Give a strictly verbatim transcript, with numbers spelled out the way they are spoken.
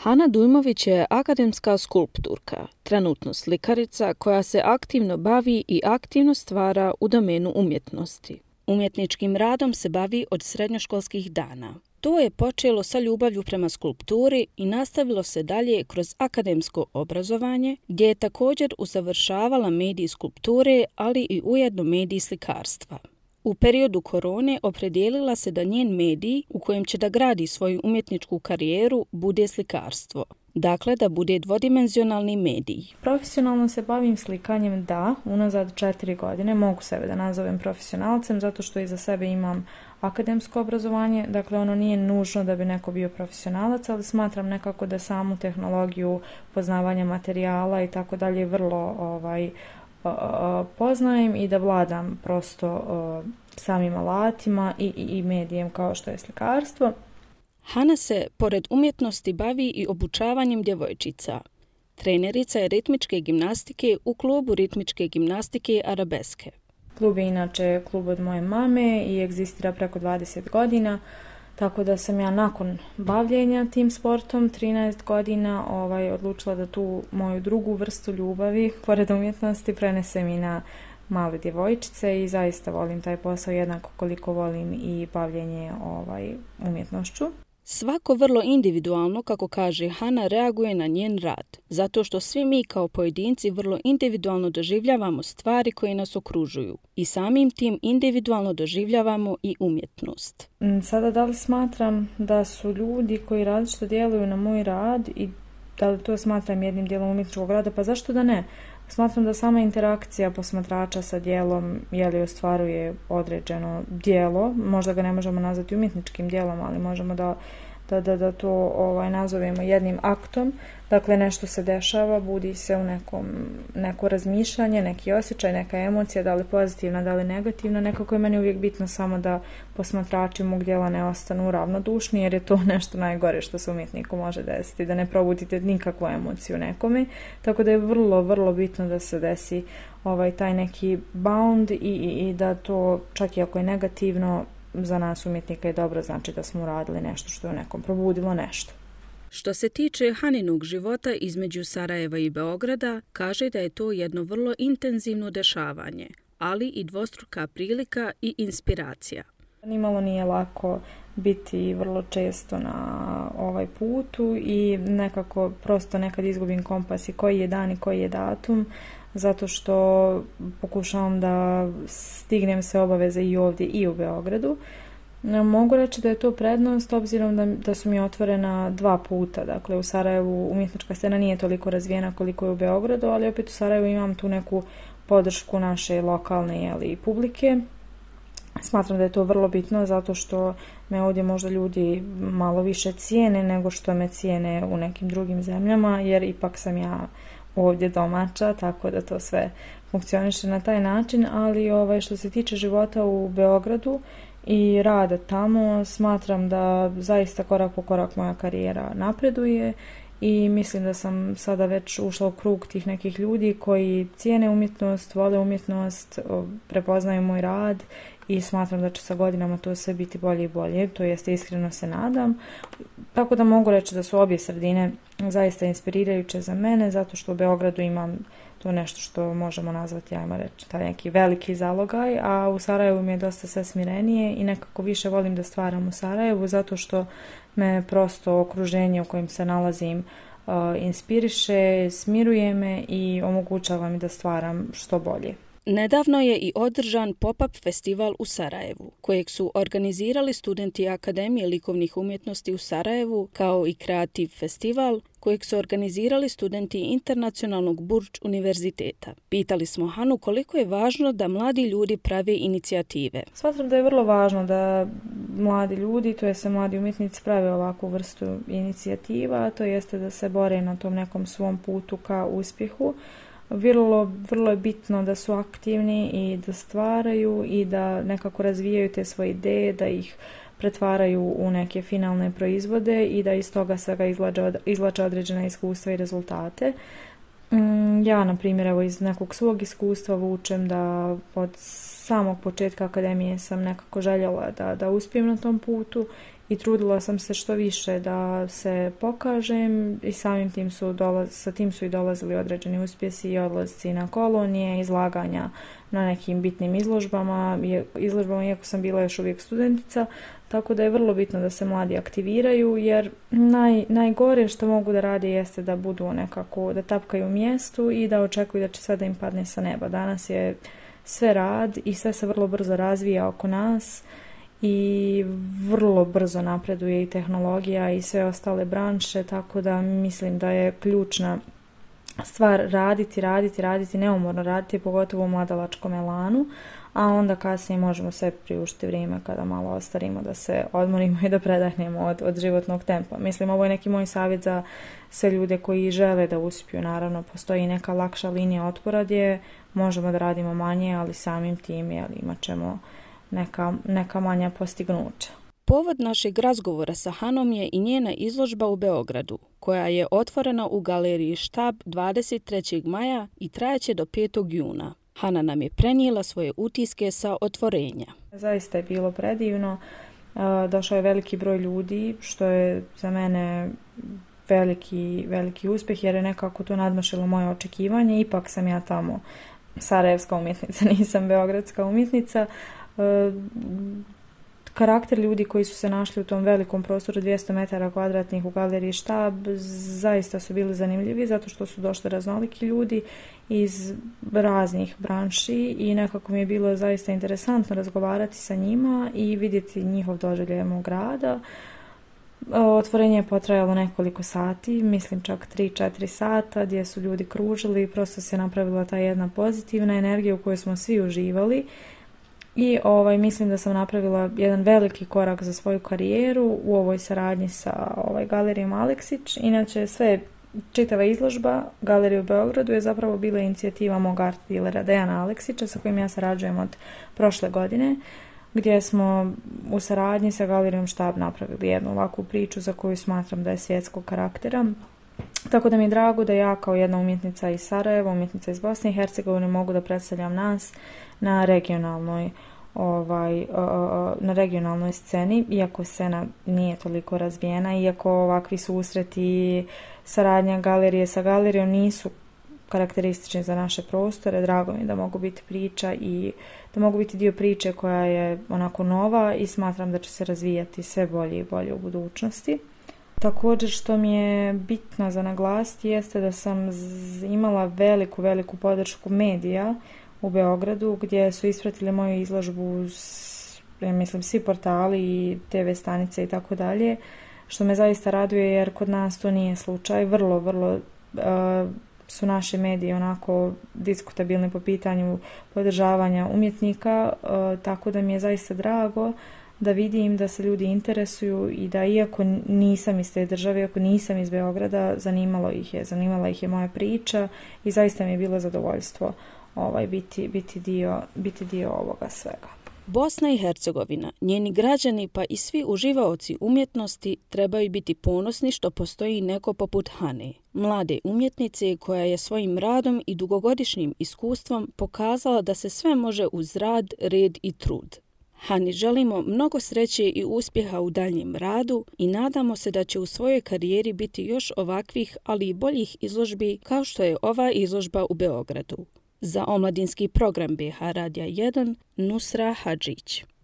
Hana Dujmović je akademska skulpturka, trenutno slikarica koja se aktivno bavi i aktivno stvara u domenu umjetnosti. Umjetničkim radom se bavi od srednjoškolskih dana. To je počelo sa ljubavlju prema skulpturi i nastavilo se dalje kroz akademsko obrazovanje, gdje je također usavršavala medij skulpture, ali i ujedno medij slikarstva. U periodu korone opredijelila se da njen medij u kojem će da gradi svoju umjetničku karijeru bude slikarstvo. Dakle, da bude dvodimenzionalni medij. Profesionalno se bavim slikanjem, da, unazad četiri godine. Mogu sebe da nazovem profesionalcem zato što iza sebe imam akademsko obrazovanje. Dakle, ono nije nužno da bi neko bio profesionalac, ali smatram nekako da samu tehnologiju poznavanja materijala i tako dalje vrlo ovaj, poznajem i da vladam prosto samim alatima i, i, i medijem kao što je slikarstvo. Hana se, pored umjetnosti, bavi i obučavanjem djevojčica. Trenerica je ritmičke gimnastike u klubu ritmičke gimnastike Arabeske. Klub je inače klub od moje mame i egzistira preko dvadeset godina, tako da sam ja nakon bavljenja tim sportom, trinaest godina, ovaj, odlučila da tu moju drugu vrstu ljubavi, pored umjetnosti, prenesem i na male djevojčice i zaista volim taj posao jednako koliko volim i bavljenje ovaj, umjetnošću. Svako vrlo individualno, kako kaže Hana, reaguje na njen rad, zato što svi mi kao pojedinci vrlo individualno doživljavamo stvari koje nas okružuju i samim tim individualno doživljavamo i umjetnost. Sada da li smatram da su ljudi koji različito djeluju na moj rad i da li to smatram jednim dijelom umjetničkog rada, pa zašto da ne? Smatram da sama interakcija posmatrača sa djelom je li ostvaruje određeno djelo, možda ga ne možemo nazvati umjetničkim djelom, ali možemo da, da, da, da to ovaj, nazovemo jednim aktom. Dakle, nešto se dešava, budi se u nekom, neko razmišljanje, neki osjećaj, neka emocija, da li pozitivna, da li negativna. Nekako je meni uvijek bitno samo da posmatrači mog djela ne ostanu ravnodušni, jer je to nešto najgore što se umjetniku može desiti, da ne probudite nikakvu emociju nekome. Tako da je vrlo, vrlo bitno da se desi ovaj, taj neki bound i, i, i da to, čak i ako je negativno, za nas umjetnika je dobro, znači da smo uradili nešto što je nekom probudilo nešto. Što se tiče Haninog života između Sarajeva i Beograda, kaže da je to jedno vrlo intenzivno dešavanje, ali i dvostruka prilika i inspiracija. Nimalo nije lako biti vrlo često na ovaj putu i nekako prosto nekad izgubim kompas i koji je dan i koji je datum, zato što pokušavam da stignem sve obaveze i ovdje i u Beogradu. Mogu reći da je to prednost obzirom da, da su mi otvorena dva puta. Dakle, u Sarajevu umjetnička scena nije toliko razvijena koliko je u Beogradu, ali opet u Sarajevu imam tu neku podršku naše lokalne jeli, publike. Smatram da je to vrlo bitno zato što me ovdje možda ljudi malo više cijene nego što me cijene u nekim drugim zemljama, jer ipak sam ja ovdje domaća, tako da to sve funkcioniše na taj način, ali ovaj, što se tiče života u Beogradu i rada tamo, smatram da zaista korak po korak moja karijera napreduje i mislim da sam sada već ušla u krug tih nekih ljudi koji cijene umjetnost, vole umjetnost, prepoznaju moj rad i smatram da će sa godinama to sve biti bolje i bolje, to jest iskreno se nadam. Tako da mogu reći da su obje sredine zaista inspirirajuće za mene, zato što u Beogradu imam to nešto što možemo nazvati, ajmo reći, taj neki veliki zalogaj, a u Sarajevu mi je dosta sve smirenije i nekako više volim da stvaram u Sarajevu, zato što me prosto okruženje u kojem se nalazim uh, inspiriše, smiruje me i omogućava mi da stvaram što bolje. Nedavno je i održan pop-up festival u Sarajevu, kojeg su organizirali studenti Akademije likovnih umjetnosti u Sarajevu, kao i kreativ festival, kojeg su organizirali studenti Internacionalnog Burj univerziteta. Pitali smo Hanu koliko je važno da mladi ljudi prave inicijative. Smatram da je vrlo važno da mladi ljudi, to jest mladi umjetnici, prave ovakvu vrstu inicijativa, to jeste da se bore na tom nekom svom putu ka uspjehu. Vrlo, vrlo je bitno da su aktivni i da stvaraju i da nekako razvijaju te svoje ideje, da ih pretvaraju u neke finalne proizvode i da iz toga svega izlače, izlače određena iskustva i rezultate. Ja, na primjer, evo iz nekog svog iskustva vučem da od samog početka akademije sam nekako željela da, da uspijem na tom putu i trudila sam se što više da se pokažem i samim tim su dolaz, sa tim su i dolazili određeni uspjesi i odlasci na kolonije, izlaganja na nekim bitnim izložbama, izložbama iako sam bila još uvijek studentica, tako da je vrlo bitno da se mladi aktiviraju jer naj, najgore što mogu da rade jeste da budu nekako, da tapkaju u mjestu i da očekuju da će sve da im padne sa neba. Danas je sve rad i sve se vrlo brzo razvija oko nas i vrlo brzo napreduje i tehnologija i sve ostale branše, tako da mislim da je ključna stvar raditi, raditi, raditi, neumorno raditi, pogotovo u mladalačkom elanu, a onda kasnije možemo sve priuštiti vrijeme kada malo ostarimo da se odmorimo i da predahnemo od, od životnog tempa. Mislim, ovo je neki moj savjet za sve ljude koji žele da uspiju. Naravno, postoji neka lakša linija otpora gdje možemo da radimo manje, ali samim tim jel, imat ćemo neka, neka manja postignuća. Povod našeg razgovora sa Hanom je i njena izložba u Beogradu, koja je otvorena u galeriji Štab dvadeset trećeg maja i trajaće do petog juna. Hana nam je prenijela svoje utiske sa otvorenja. Zaista je bilo predivno. Došao je veliki broj ljudi, što je za mene veliki, veliki uspjeh, jer je nekako to nadmašilo moje očekivanje. Ipak sam ja tamo sarajevska umjetnica, nisam beogradska umjetnica. Karakter ljudi koji su se našli u tom velikom prostoru dvjesto metara kvadratnih u galeriji Štab zaista su bili zanimljivi zato što su došli raznoliki ljudi iz raznih branši i nekako mi je bilo zaista interesantno razgovarati sa njima i vidjeti njihov doživljaj mog rada. Otvorenje je potrajalo nekoliko sati, mislim čak tri četiri sata gdje su ljudi kružili i prosto se napravila ta jedna pozitivna energija u kojoj smo svi uživali. I ovaj, mislim da sam napravila jedan veliki korak za svoju karijeru u ovoj saradnji sa ovaj, galerijom Aleksić. Inače, sve čitava izložba galerije u Beogradu je zapravo bila inicijativa mog art dealera Dejana Aleksića sa kojim ja sarađujem od prošle godine, gdje smo u saradnji sa galerijom Štab napravili jednu ovakvu priču za koju smatram da je svjetskog karaktera. Tako da mi je drago da ja kao jedna umjetnica iz Sarajeva, umjetnica iz Bosne i Hercegovine mogu da predstavljam nas na regionalnoj ovaj, na regionalnoj sceni, iako scena nije toliko razvijena, iako ovakvi susreti, saradnja galerije sa galerijom nisu karakteristični za naše prostore. Drago mi je da mogu biti priča i da mogu biti dio priče koja je onako nova i smatram da će se razvijati sve bolje i bolje u budućnosti. Također što mi je bitno za naglasiti jeste da sam imala veliku, veliku podršku medija u Beogradu gdje su ispratili moju izložbu, ja mislim, svi portali i te ve stanice i tako dalje, što me zaista raduje jer kod nas to nije slučaj. Vrlo, vrlo uh, su naši mediji onako diskutabilni po pitanju podržavanja umjetnika, uh, tako da mi je zaista drago da vidim da se ljudi interesuju i da iako nisam iz te države, iako nisam iz Beograda, zanimalo ih je, zanimala ih je moja priča i zaista mi je bilo zadovoljstvo ovaj, biti, biti, dio, biti dio ovoga svega. Bosna i Hercegovina, njeni građani pa i svi uživaoci umjetnosti trebaju biti ponosni što postoji neko poput Hane, mlade umjetnice koja je svojim radom i dugogodišnjim iskustvom pokazala da se sve može uz rad, red i trud. Hani želimo mnogo sreće i uspjeha u daljnjem radu i nadamo se da će u svojoj karijeri biti još ovakvih, ali i boljih izložbi kao što je ova izložba u Beogradu. Za omladinski program be ha Radija jedan, Nusra Hadžić.